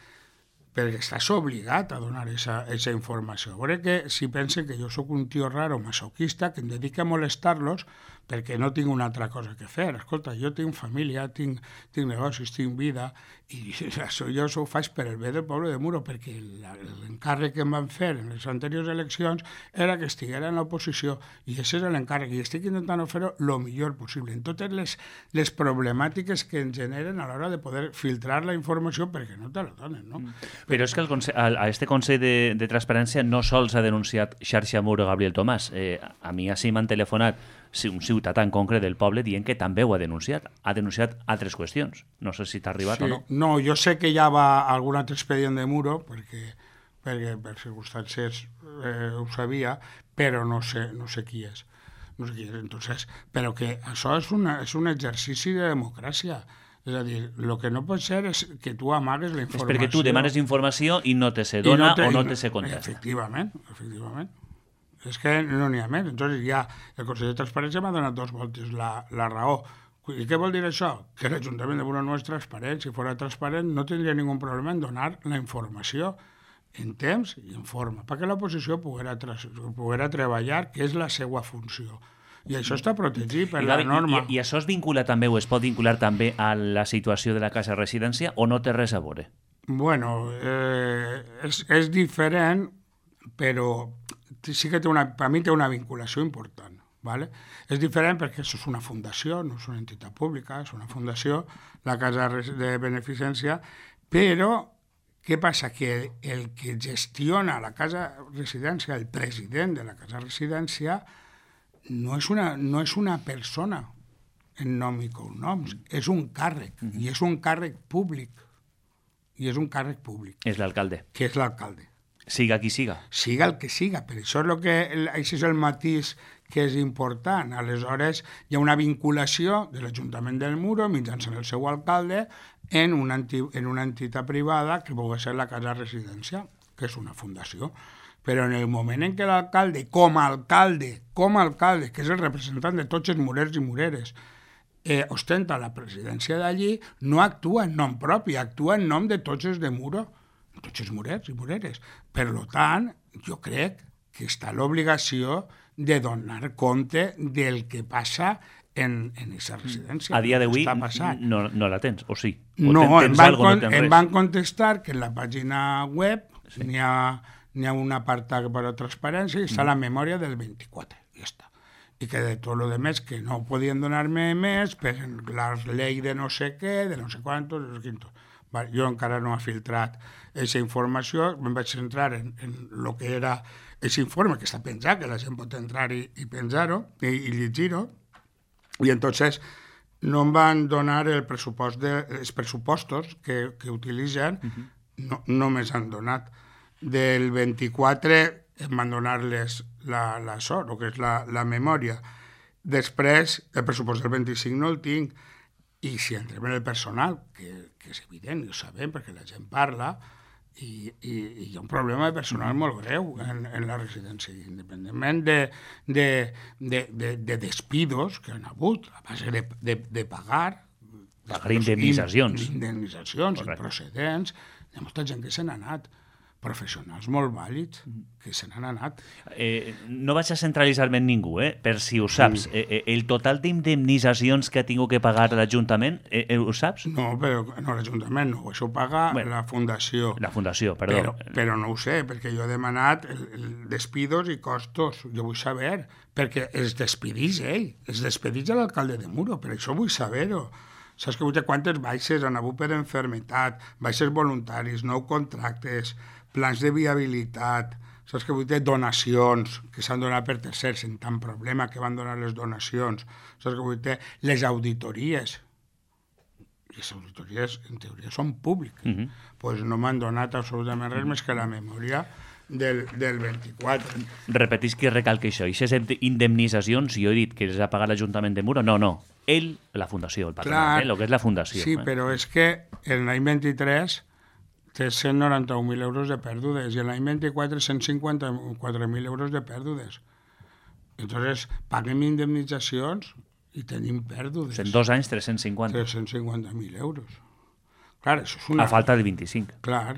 Perquè estàs obligat a donar aquesta informació. A veure que si pensen que jo sóc un tio raro masoquista que em dedica a molestar-los perquè no tinc una altra cosa que fer. Escolta, jo tinc família, tinc negocis, tinc vida, i això jo ho faig per el bé del poble de Muro, perquè l'encàrrec que em van fer en les anteriors eleccions era que estiguera en l'oposició, i aquest és l'encàrrec, i estic intentant fer-ho el millor possible, en totes les problemàtiques que ens generen a l'hora de poder filtrar la informació perquè no te la donen, no? Però és que a este Consell de Transparència no sols ha denunciat Xarxa Muro Gabriel Tomàs. A mi així m'han telefonat un ciutadà en concret del poble dient que també ho ha denunciat. Ha denunciat altres qüestions. No sé si t'ha arribat o no. No, jo sé que hi ha algun altre expedient de Muro, perquè per circumstàncies ho sabia, però no sé qui és. no sé què. Entonces, però que això és un exercici de democràcia. És a dir, el que no pot ser és que tu amagues la informació. És perquè tu demanes informació i no te se dona o no te se contesta. Efectivament. És que no n'hi ha més. Entonces ja el Consell de Transparència m'ha donat 2 voltes la raó. I què vol dir això? Que l'Ajuntament de Muro no és transparent. Si fos transparent no tindria ningú problema en donar la informació en temps i en forma, perquè l'oposició poguera treballar, que és la seva funció. I això està protegit per la norma. I això es vincula també o es pot vincular també a la situació de la casa de residència o no té res a veure? Bueno, és diferent, però sí que per mi té una vinculació important. ¿Vale? És diferent perquè això és una fundació, no és una entitat pública, és una fundació, la casa de beneficència, però què passa? Que el que gestiona la casa residència, el president de la casa residència, no és una persona en nom i cognoms, és un càrrec, i és un càrrec públic. És l'alcalde. Que és l'alcalde. Siga qui siga. Siga el que siga, per això això és el matís que és important. Aleshores, hi ha una vinculació de l'Ajuntament del Muro mitjançant el seu alcalde en una entitat privada que pugui ser la casa residència, que és una fundació. Però en el moment en què l'alcalde, com a alcalde, que és el representant de tots els murers i mureres, ostenta la presidència d'allí, no actua en nom propi, actua en nom de tots els de Muro, tots els murers i mureres. Per tant, jo crec que està l'obligació de donar compte del que passa en aquesta residència. A dia d'avui no la tens, o sí? No, em van contestar que en la pàgina web n'hi ha un apartat per a transparència i està la memòria del 24, i ja està. I que de tot el demés que no podien donar-me més per la llei de no sé què, de no sé quantos, no sé quintos. Jo encara no he filtrat aquesta informació, em vaig centrar en el que era aquest informe que està penjat, que la gent pot entrar i penjar-ho i llegir-ho, i entonces no em van donar els pressupostos que utilitzen, no me's han donat. Del 24 em van donar el que és la memòria. Després, el pressupost del 25 no el tinc, i si entrem en el personal, que és evident, i ho sabem, perquè la gent parla, i hi ha un problema de personal molt greu en la residència, independentment de despidos que han hagut, a base de pagar indemnitzacions improcedents, hi ha molta gent que se n'ha anat, professionals molt vàlids que se n'han anat. No vaig a centralitzar-me en ningú, per si ho saps. El total d'indemnitzacions que ha tingut que pagar l'Ajuntament, ho saps? No, però no l'Ajuntament no, això ho paga la Fundació. La Fundació, perdó. Però no ho sé, perquè jo he demanat despidos i costos. Jo vull saber, perquè es despedís ell, es despedís l'alcalde de Muro, per això vull saber-ho. Saps que vull dir quantes baixes han hagut per enfermetat, baixes voluntaris, nou contractes, plans de viabilitat, saps que vull dir donacions que s'han donat per tercers, en tant problema que van donar les donacions, saps que vull dir les auditories. Les auditories, en teoria, són públiques. Doncs no m'han donat absolutament res més que la memòria del 24. Repetís que recalca això. I aquestes indemnitzacions, jo he dit que les ha pagat l'Ajuntament de Muro, no. Ell, la Fundació, el patronat, el que és la Fundació. Sí, però és que l'any 23 té 191.000 euros de pèrdues i l'any 24 154.000 euros de pèrdues. Entonces, paguem indemnitzacions i tenim pèrdues. En 2 anys, 350. 350.000 euros. Clar, això és una... A falta de 25. Clar,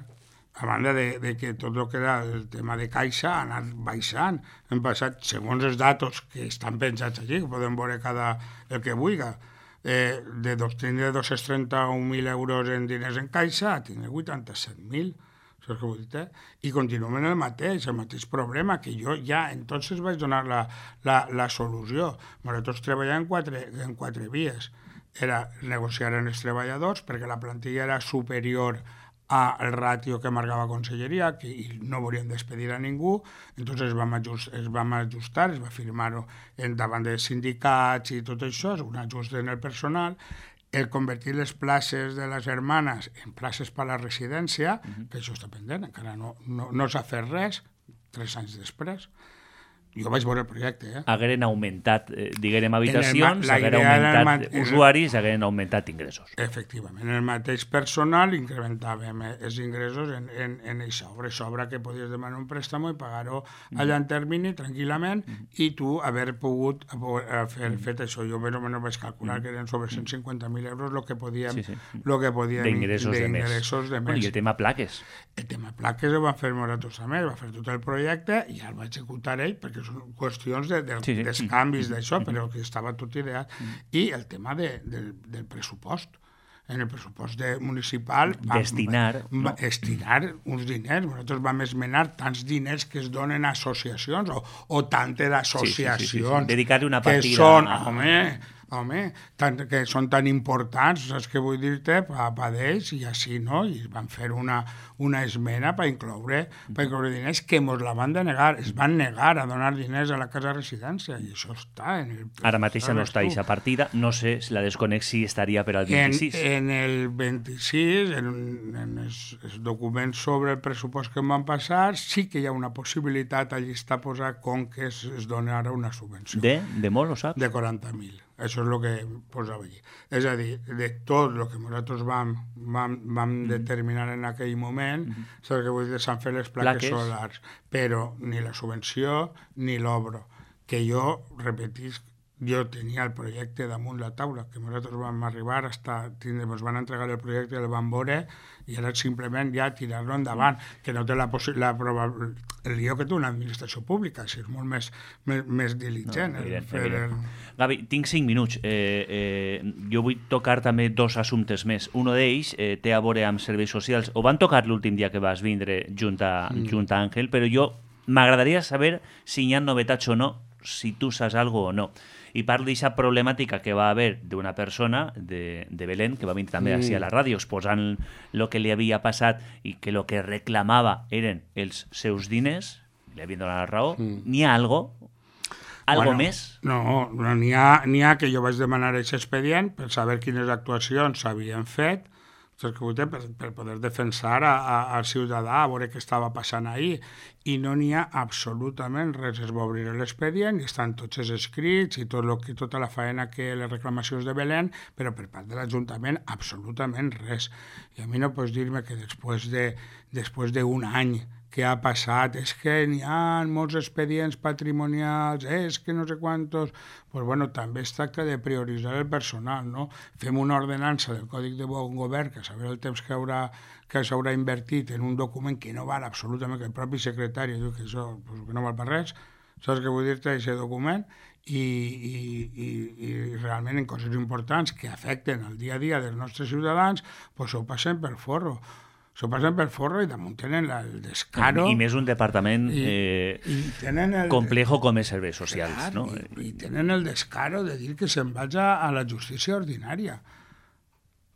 a banda de que tot el que era el tema de caixa ha anat baixant. Hem passat, segons els datos que estan penjats allí, que podem veure el que vulgui, de 231.000 euros en diners en caixa a tindre 87.000. Saps què vull dir? I continuem en el mateix problema, que jo ja entonces vaig donar la solució. Nosaltres treballàvem en quatre vies. Era negociar amb els treballadors, perquè la plantilla era superior al ràtio que marcava Conselleria, que no volien despedir a ningú, entonces es vam ajustar, es va firmar-ho davant dels sindicats i tot això, és un ajust en el personal, el convertir les places de les hermanes en places per a la residència, que això està pendent, encara no s'ha fet res, 3 anys després, Jo vaig veure el projecte, Hagueren augmentat, diguem, habitacions, hagueren augmentat usuaris, hagueren augmentat ingressos. Efectivament. En el mateix personal incrementàvem els ingressos en això, sobra que podies demanar un préstamo i pagar-ho allà en termini, tranquil·lament, i tu haver pogut fet això. Jo més o menys vaig calcular que eren sobre 150.000 euros el que podíem d'ingressos de mes. I el tema plaques? El tema plaques ho van fer nosaltres també, va fer tot el projecte i ja el va executar ell, perquè són qüestions dels canvis d'això, però que estava tot ideat. I el tema del pressupost. En el pressupost municipal destinar uns diners. Nosaltres vam esmenar tants diners que es donen a associacions o tantes associacions dedicar-hi una que partida són, que són tan importants, saps què vull dir-te, per d'ells, i així, no? I van fer una esmena per incloure diners que ens la van denegar. Es van negar a donar diners a la casa de residència, i això està en el... Ara mateix no està aquesta partida, no sé si la desconec si estaria per al 26. En el 26, en els documents sobre el pressupost que em van passar, sí que hi ha una possibilitat, allí està posat com que es dona ara una subvenció. De molt, ho saps? De 40.000. Això és el que posava allí. És a dir, de tot el que nosaltres vam determinar en aquell moment, saps que vull dir, s'han fet les plaques solars, però ni la subvenció ni l'obra. Que jo, repetisc, jo tenia el projecte damunt la taula, que nosaltres vam arribar ens van entregar el projecte i el vam veure, i era simplement ja tirar-lo endavant, que no té el lío que té una administració pública, si és molt més diligent. Gavi, tinc 5 minuts. Jo vull tocar també 2 assumptes més. Un d'ells té a veure amb serveis socials. Ho van tocar l'últim dia que vas vindre junt a Àngel, però jo m'agradaria saber si hi ha novetats o no, si tu saps alguna cosa o no. I parlo d'aquesta problemàtica que va haver d'una persona de Belén, que va venir també així a la ràdio, exposant el que li havia passat i que el que reclamava eren els seus diners, li havien donat la raó. N'hi ha algo més? No, n'hi ha que jo vaig demanar aquest expedient per saber quines actuacions s'havien fet, per poder defensar al ciutadà, a veure què estava passant ahir. I no n'hi ha absolutament res. Es va obrir l'expedient i estan tots els escrits i tota la faena que les reclamacions de Belén, però per part de l'Ajuntament absolutament res. I a mi no pots dir-me que després d'un any que ha passat, és que n'hi ha molts expedients patrimonials, és que no sé quantos... Pues bueno, també es tracta de prioritzar el personal, no? Fem una ordenança del Còdic de Bon Govern, que saber el temps que s'haurà invertit en un document que no val absolutament, que el propi secretari diu que això que no val per res, saps què vull dir-te, aquest document? I realment en coses importants que afecten el dia a dia dels nostres ciutadans, pues ho passen per forro. S'ho passen per forro i damunt tenen el descaro... I més un departament complejo com és serveis socials. Clar, no? I tenen el descaro de dir que se'n vaja a la justícia ordinària.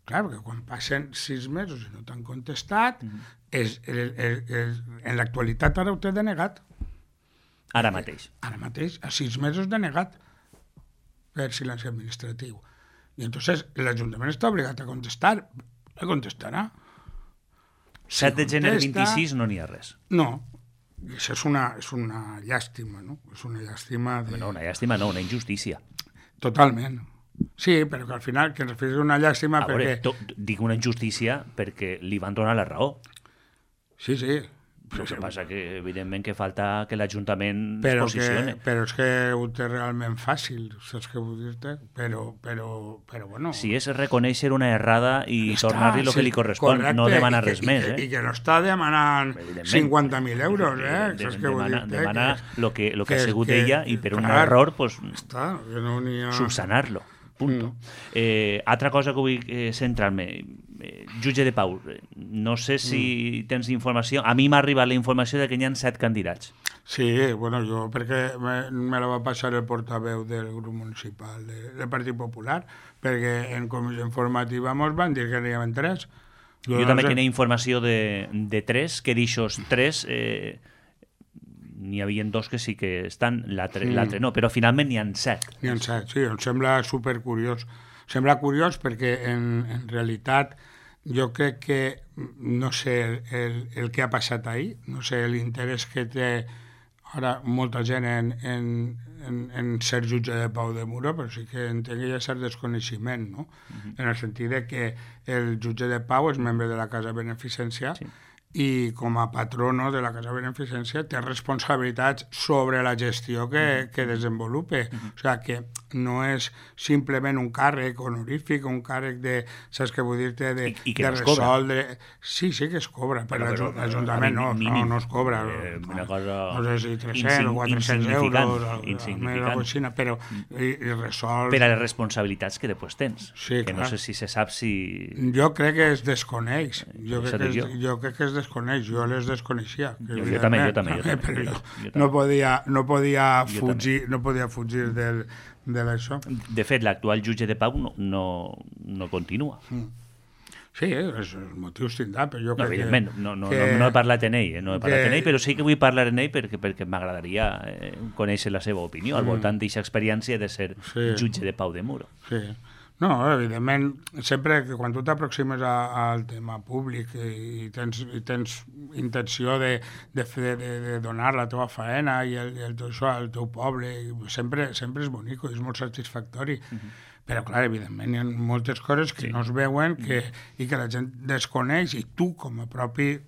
Clar, perquè quan passen 6 mesos i no t'han contestat, en l'actualitat ara ho té denegat. Ara mateix. Ara mateix, a 6 mesos denegat per silenci administratiu. I entonces l'Ajuntament està obligat a contestar. No contestarà. 7 de gener 26 no n'hi ha res. No, això és una llàstima, no? És una llàstima... No, una llàstima no, una injustícia. Totalment. Sí, però que al final que es refereix a una llàstima perquè... Dic una injustícia perquè li van donar la raó. Sí. El que passa que, evidentment, que falta que l'Ajuntament es posicione. Però és que ho té realment fàcil, saps què vull dir-te? Però bueno... Si és reconèixer una errada i tornar-li el que li correspon, correcte, no demanar res més. I que no està demanant 50.000 euros, saps què vull dir-te? Demana el que ha sigut ella i per un error, subsanar-lo. Punto. Altra cosa que vull centrar-me, jutge de pau, no sé si tens informació, a mi m'ha arribat la informació de que hi ha 7 candidats. Sí, bueno, jo perquè me la va passar el portaveu del grup municipal del Partit Popular, perquè en comissió informativa ens van dir que n'hi havia 3. Jo també tenia informació de 3, que d'aixòs 3 n'hi havia 2 que sí que estan, l'altre no, però finalment n'hi ha 7. N'hi ha 7, sí, em sembla supercuriós. Sembla curiós perquè en realitat jo crec que no sé el que ha passat ahir, no sé l'interès que té ara molta gent en ser jutge de pau de Muro, però sí que entenc que hi ha cert desconeixement, no? En el sentit de que el jutge de pau és membre de la Casa Beneficència i com a patrono de la Casa Beneficència té responsabilitats sobre la gestió que desenvolupe. O sigui que no és simplement un càrrec honorífic, un càrrec de, saps què vull dir-te, de resoldre... Sí que es cobra, però l'Ajuntament no es cobra. Una cosa... No sé si 300 o 400 euros, insignificant, però i resol... Per a les responsabilitats que després tens. Sí, que no sé si se sap si... Jo crec que es desconeix. Jo crec que es desconeix. Jo les desconeixia. Jo també. Però no podia fugir d'això. De fet, l'actual jutge de pau no continua. Sí, els motius tindrà, però jo crec evidentment, no he parlat en ell, però sí que vull parlar en ell perquè m'agradaria conèixer la seva opinió al voltant d'aquesta experiència de ser jutge de pau de Muro. Sí. No, evidentment, sempre que quan tu t'aproximes al tema públic i tens intenció de donar la teva faena i això al teu poble, sempre és bonic i és molt satisfactori. Però, clar, evidentment, hi ha moltes coses que no es veuen i que la gent desconeix i tu, com a pròpia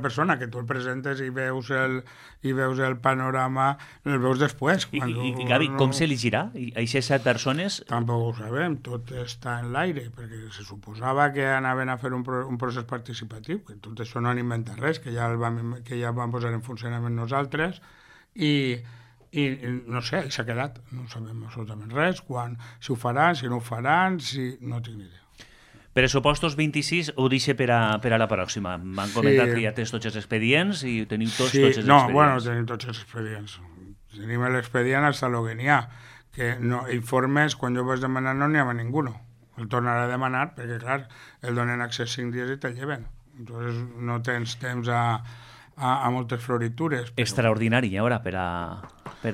persona, que tu el presentes i veus el panorama, el veus després. I Gavi, com s'elegirà? Aquestes 7 persones... Tampoc ho sabem, tot està en l'aire, perquè se suposava que anaven a fer un procés participatiu, que tot això no han inventat res, que ja vam posar en funcionament nosaltres, i no sé, s'ha quedat, no sabem absolutament res, si ho faran, si no ho faran, no tinc ni idea. Pressupostos 26 ho deixe per a la pròxima. M'han comentat que ja tens tots els expedients i teniu tots els expedients. No, bueno, tenim tots els expedients. Tenim l'expedient hasta lo que n'hi ha. Que informes, quan jo vaig demanar no n'hi havia ningú. El tornarà a demanar perquè, clar, el donen accés 5 dies i te'l lleven. Entonces no tens temps a moltes floritures. Però... Extraordinari, ara, per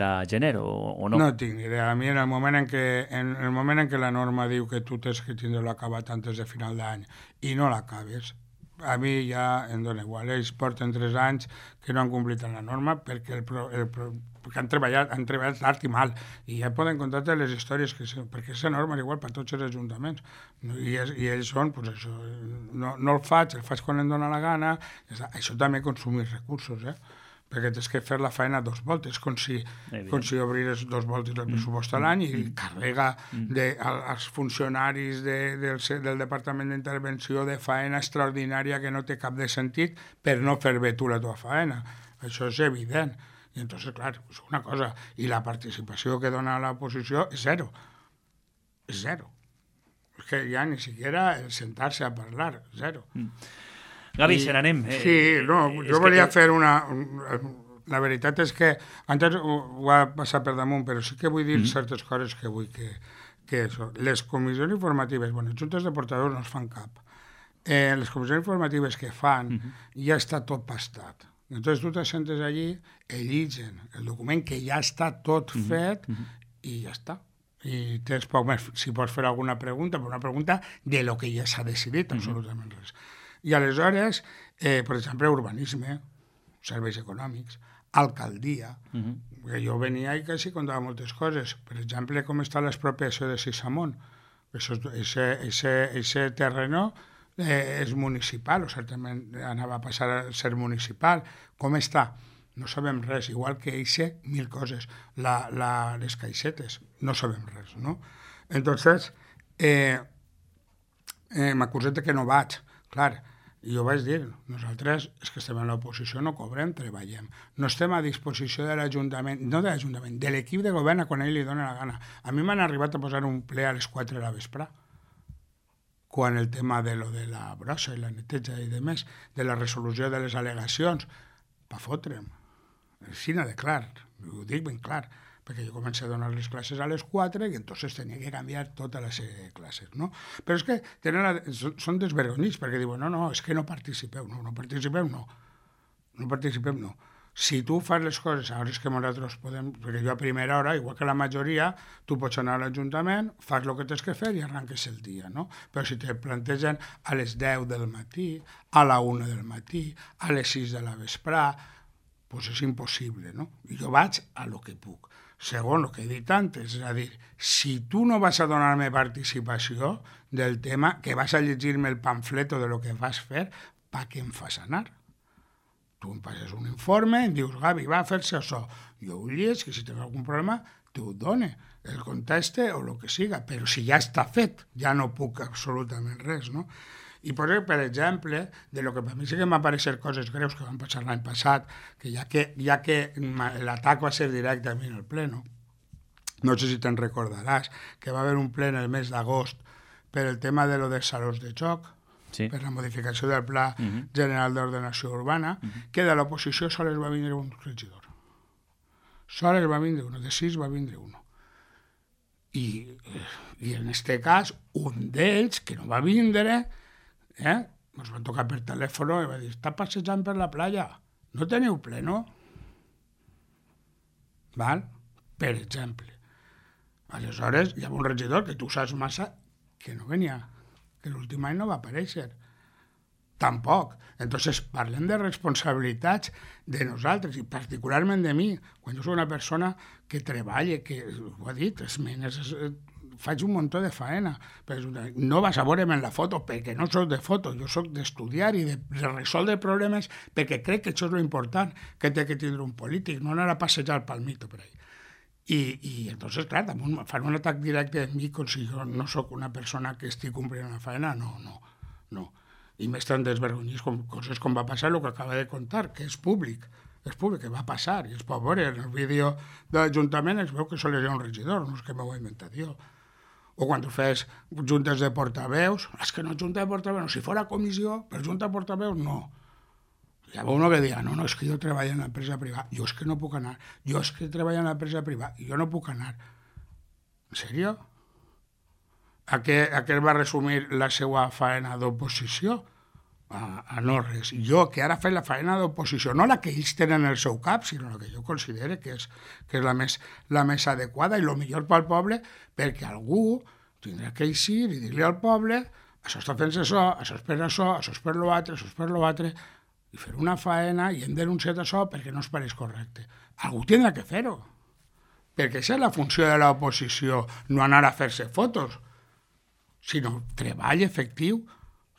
a gener o no? No tinc ni idea. A mi en el moment en què la norma diu que tu tens que tindre-lo acabat antes de final d'any i no l'acabes, a mi ja em dona igual. Ells porten 3 anys que no han complit la norma perquè han treballat tard i mal i ja poden contar les històries perquè aquesta norma és igual per tots els ajuntaments i ells són, doncs això, no el faig quan em dóna la gana. Això també consumir recursos, perquè tens que fer la feina 2 voltes, com si obrires 2 voltes el pressupost a l'any i carrega als funcionaris del Departament d'Intervenció de feina extraordinària que no té cap de sentit per no fer bé tu la teva feina. Això és evident. I entonces, clar, és una cosa. I la participació que dona l'oposició és zero. És zero. És que ja ni siquiera el sentar-se a parlar, zero. Gavi, se n'anem. Sí, no, jo volia fer la veritat és que antes ho va passar per damunt, però sí que vull dir certes coses que vull que això. Les comissions informatives, les juntes de portadors no es fan cap. Les comissions informatives que fan ja està tot pastat. Entonces tu te sentes allí, eligen el document que ja està tot fet i ja està. I tens poc més, si pots fer alguna pregunta, però una pregunta de lo que ja s'ha decidit, absolutament res. I aleshores, per exemple, urbanisme, serveis econòmics, alcaldia, que jo venia i quasi contava moltes coses. Per exemple, com està l'expropiació de Sisamont. Ese terreno és municipal, o certament anava a passar a ser municipal. Com està? No sabem res, igual que eixe 1000 coses. Les caixetes, no sabem res, no? Entonces, m'acusen que no vaig. Clar, jo vaig dir, nosaltres és que estem en l'oposició, no cobrem, treballem. No estem a disposició de l'Ajuntament, no de l'Ajuntament, de l'equip de govern quan ell li dona la gana. A mi m'han arribat a posar un ple a les 4 de la vesprà, quan el tema de la brossa i la neteja i demés, de la resolució de les al·legacions, pa fotre'm. Així de clar, ho dic ben clar, perquè jo començo a donar les classes a les 4 i entonces tenia que canviar totes les classes, no? Però és que són desvergonyits, perquè diuen, no, és que no participeu, no participem, no. Si tu fas les coses a hores que nosaltres podem, perquè jo a primera hora, igual que la majoria, tu pots anar a l'Ajuntament, fas el que tens que fer i arranques el dia, no? Però si te plantegen a les 10 del matí, a la 1 del matí, a les 6 de la vesprà, doncs és impossible, no? I jo vaig a lo que puc. Segon, el que he dit antes, és a dir, si tu no vas a donar-me participació del tema, que vas a llegir-me el pamfleto de lo que vas fer, pa què em fas anar? Tu em passes un informe, em dius, Gavi, va a fer-se això. Jo ho lleig, que si tens algun problema, t'ho done, el conteste o el que siga, però si ja està fet, ja no puc absolutament res, no? I per exemple, de lo que per mi sí que m'han apareixer coses greus que van passar l'any passat, que ja que l'atac va ser directe a mi en el ple, no sé si te'n recordaràs, que va haver un ple en el mes d'agost per el tema de lo dels salons de joc, per la modificació del Pla General d'Ordenació Urbana, que de l'oposició sols va vindre un regidor. Sols va vindre un, de 6 va vindre un. I en aquest cas, un d'ells, que no va vindre, ens van tocar per telèfon i va dir, està passejant per la playa, no teniu pleno? Val? Per exemple. Aleshores, hi ha un regidor que tu saps massa que no venia, que l'últim any no va aparèixer. Tampoc. Entonces, parlem de responsabilitats de nosaltres, i particularment de mi, quan jo soc una persona que treballa, que, ho ha dit, faig un muntó de faena. No vas a veure'm en la foto perquè no soc de foto, jo soc d'estudiar i de resoldre problemes perquè crec que això és l'important que té que tindre un polític, no anar a passejar el palmito per ahí. I entonces, clar, fan un atac directe a mi com si jo no sóc una persona que estic complint una faena, no. I més tan desvergonyís com coses com va passar el que acaba de contar, que és públic, que va passar, i es pot veure en el vídeo de l'Ajuntament, es veu que sols hi ha un regidor, no és que m'ho he inventat jo. O quan tu fes juntes de portaveus, és que no junta de portaveus, si fora comissió, per junta de portaveus, no. Hi havia uno que deia, no, és que jo treballo en l'empresa privada, jo és que no puc anar, jo és que treballo en l'empresa privada, i jo no puc anar. En sèrio? A què va resumir la seva faena d'oposició? A no res. Jo, que ara faig la faena d'oposició, no la que ells tenen en el seu cap, sinó la que jo considero que és la més adequada i el millor pel poble, perquè algú tindrà que eixir i dir-li al poble això està fent-se això és per això, això és per l'altre, això és per l'altre, i fer una faena i hem denunciat això perquè no es pareix correcte. Algú tindrà que fer-ho, perquè aquesta és la funció de l'oposició, no anar a fer-se fotos, sinó treball efectiu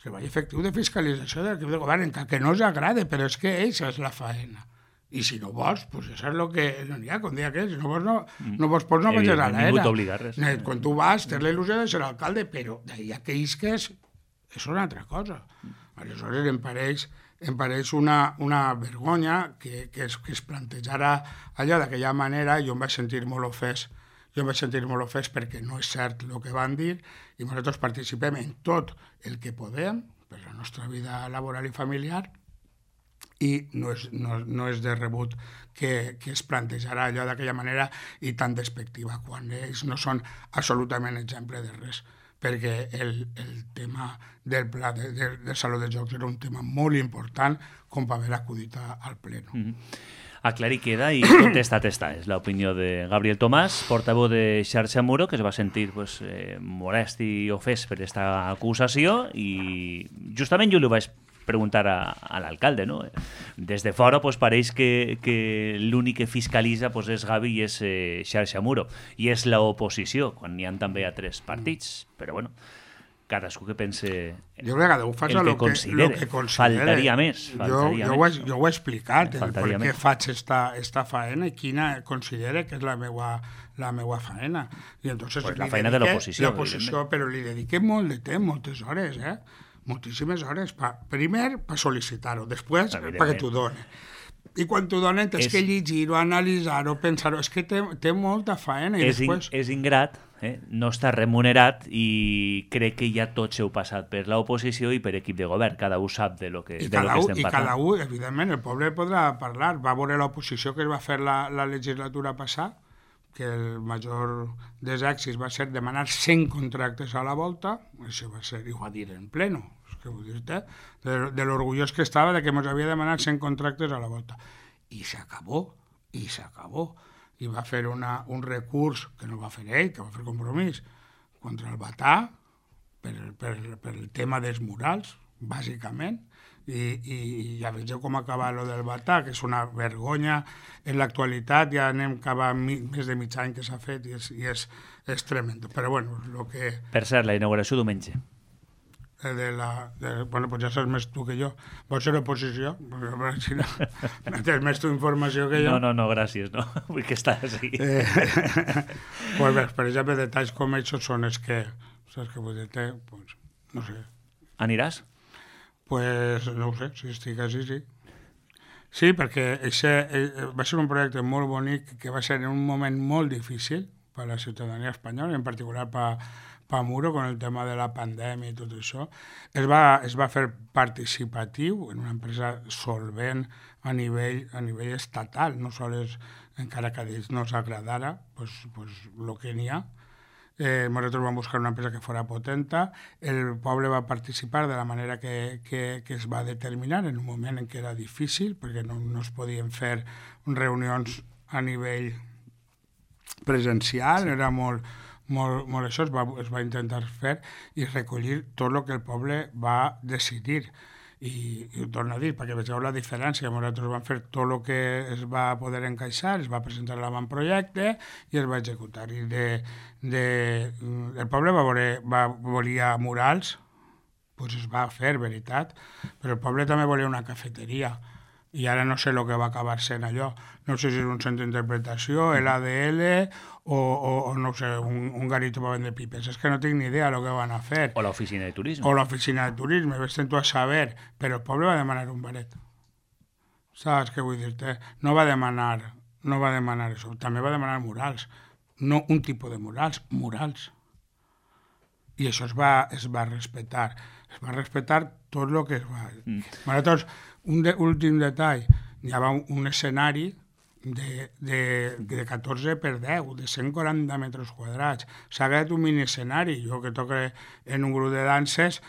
de fiscalització de l'equip de govern, encara que no us agrade, però és que això és la faena. I si no vols, doncs això és el que no n'hi ha, com dia que si no vols, no vagis a l'era. Ningú t'obliga res. Quan tu vas, tens la il·lusió de ser alcalde, però d'ahir que isques és una altra cosa. Aleshores em pareix una vergonya que es plantejara allò d'aquella manera, i jo em vaig sentir molt ofès perquè no és cert el que van dir, i nosaltres participem en tot el que podem per la nostra vida laboral i familiar, i no és de rebut que es plantejarà allò d'aquella manera i tan despectiva, quan ells no són absolutament exemple de res, perquè el tema del pla del Saló de Jocs era un tema molt important com per haver acudit al pleno. Aclarir queda i contestat està. És l'opinió de Gabriel Tomàs, portaveu de Xarxa Muro, que es va sentir molest i ofès per aquesta acusació, i justament jo li vaig preguntar a l'alcalde, no? Des de fora pareix que l'únic que fiscalitza és Gavi i és Xarxa Muro, i és l'oposició, quan n'hi ha també altres partits, però bueno, cadascú que pense jo crec que Déu fa el que considere. Faltaria més. Jo ho he explicat, per què faig esta faena i quina considere que és la meva faena. I entonces la feina de l'oposició. Però li dediquem molt de temps, moltes hores, moltíssimes hores. Primer, per sol·licitar-ho, després, perquè t'ho doni. I quan t'ho donen, tens que llegir-ho, analitzar-ho, pensar-ho. És que té molta faena. És ingrat, no està remunerat, i crec que ja tots heu passat per l'oposició i per equip de govern. Cada un sap de lo que estem parlant. I cada un, evidentment, el poble podrà parlar. Va veure l'oposició que es va fer la legislatura passada, que el major dels èxits va ser demanar 100 contractes a la volta, això va ser, i ho va dir en pleno, que vull dir-te, de l'orgullós que estava de que ens havia demanat 100 contractes a la volta. I s'acabó. I va fer un recurs, que no va fer ell, que va fer Compromís, contra el Batà, per el tema dels murals, bàsicament, i ja vegeu com acaba lo del Batà, que és una vergonya. En l'actualitat ja anem cap a més de mig any que s'ha fet i és tremendo. Però bueno, lo que... Per cert, la inauguració diumenge. Bueno, pues ja saps més tu que jo. Vols ser oposició? Perquè si no tens més tu informació que jo. No, gràcies, no. Vull que estàs així. Pues bé, per exemple, detalls com aquests són els que, saps què vull dir-te? Pues, no sé. Aniràs? Pues no ho sé, si estic així, sí. Sí, perquè va ser un projecte molt bonic que va ser en un moment molt difícil per a la ciutadania espanyola, en particular per Muro, con el tema de la pandèmia i tot això. Es va fer participatiu en una empresa solvent a nivell estatal, no sols encara que a ells no els agradara pues el que n'hi ha. Nosaltres vam buscar una empresa que fos potenta, el poble va participar de la manera que es va determinar en un moment en què era difícil, perquè no es podien fer reunions a nivell presencial, era molt això, es va intentar fer i recollir tot el que el poble va decidir. I ho torno a dir, perquè vegeu la diferència. Nosaltres vam fer tot el que es va poder encaixar, es va presentar l'avantprojecte i es va executar. I el poble volia murals, doncs es va fer, veritat, però el poble també volia una cafeteria. I ara no sé el que va acabar sent allò. No sé si és un centre d'interpretació, l'ADL o no sé, un garito per vendre pipes. És que no tinc ni idea del que van a fer. O l'oficina de turisme. O l'oficina de turisme, vés-te'n tu a saber. Però el poble va demanar un baret. Saps què vull dir-te? No va demanar això. També va demanar murals. No un tipus de murals, murals. I això es va respectar. Es va respectar tot el que es va... Nosaltres, un últim detall, hi havia un escenari de 14 per 10, de 140 metres quadrats. S'ha quedat un mini escenari. Jo que toco en un grup de danses,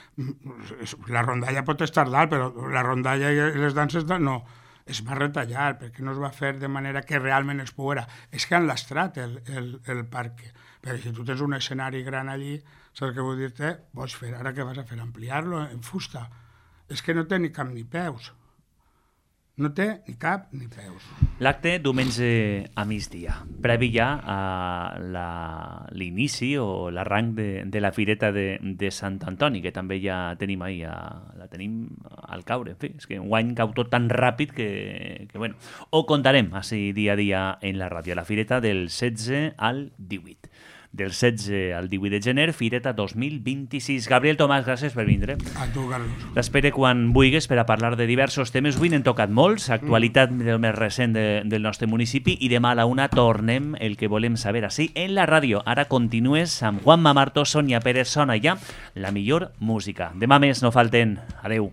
la rondalla pot estar dalt, però la rondalla i les danses no. Es va retallar, perquè no es va fer de manera que realment es poguera. És que han lastrat el parc. Perquè si tu tens un escenari gran allí, saps què vull dir-te? Pots fer, ara què vas a fer? Ampliar-lo en fusta. És que no té ni cap ni peus. No té ni cap ni peus. L'acte diumenge a migdia, previ ja a l'inici o l'arranc de la Fireta de Sant Antoni, que també ja tenim ahir, la tenim al caure. En fi, és que enguany cau tot tan ràpid que bueno, ho contarem així dia a dia en la ràdio. La Fireta del 16 al 18. Del 16 al 18 de gener, Fireta 2026. Gabriel Tomàs, gràcies per vindre. A tu, Carlos. T'espere quan vulguis per a parlar de diversos temes. Avui n'hem tocat molts, actualitat del més recent del nostre municipi, i demà a la 1 tornem el que volem saber així en la ràdio. Ara continues amb Juanma Marto, Sònia Pérez, sona ja la millor música. Demà més, no falten. Adeu.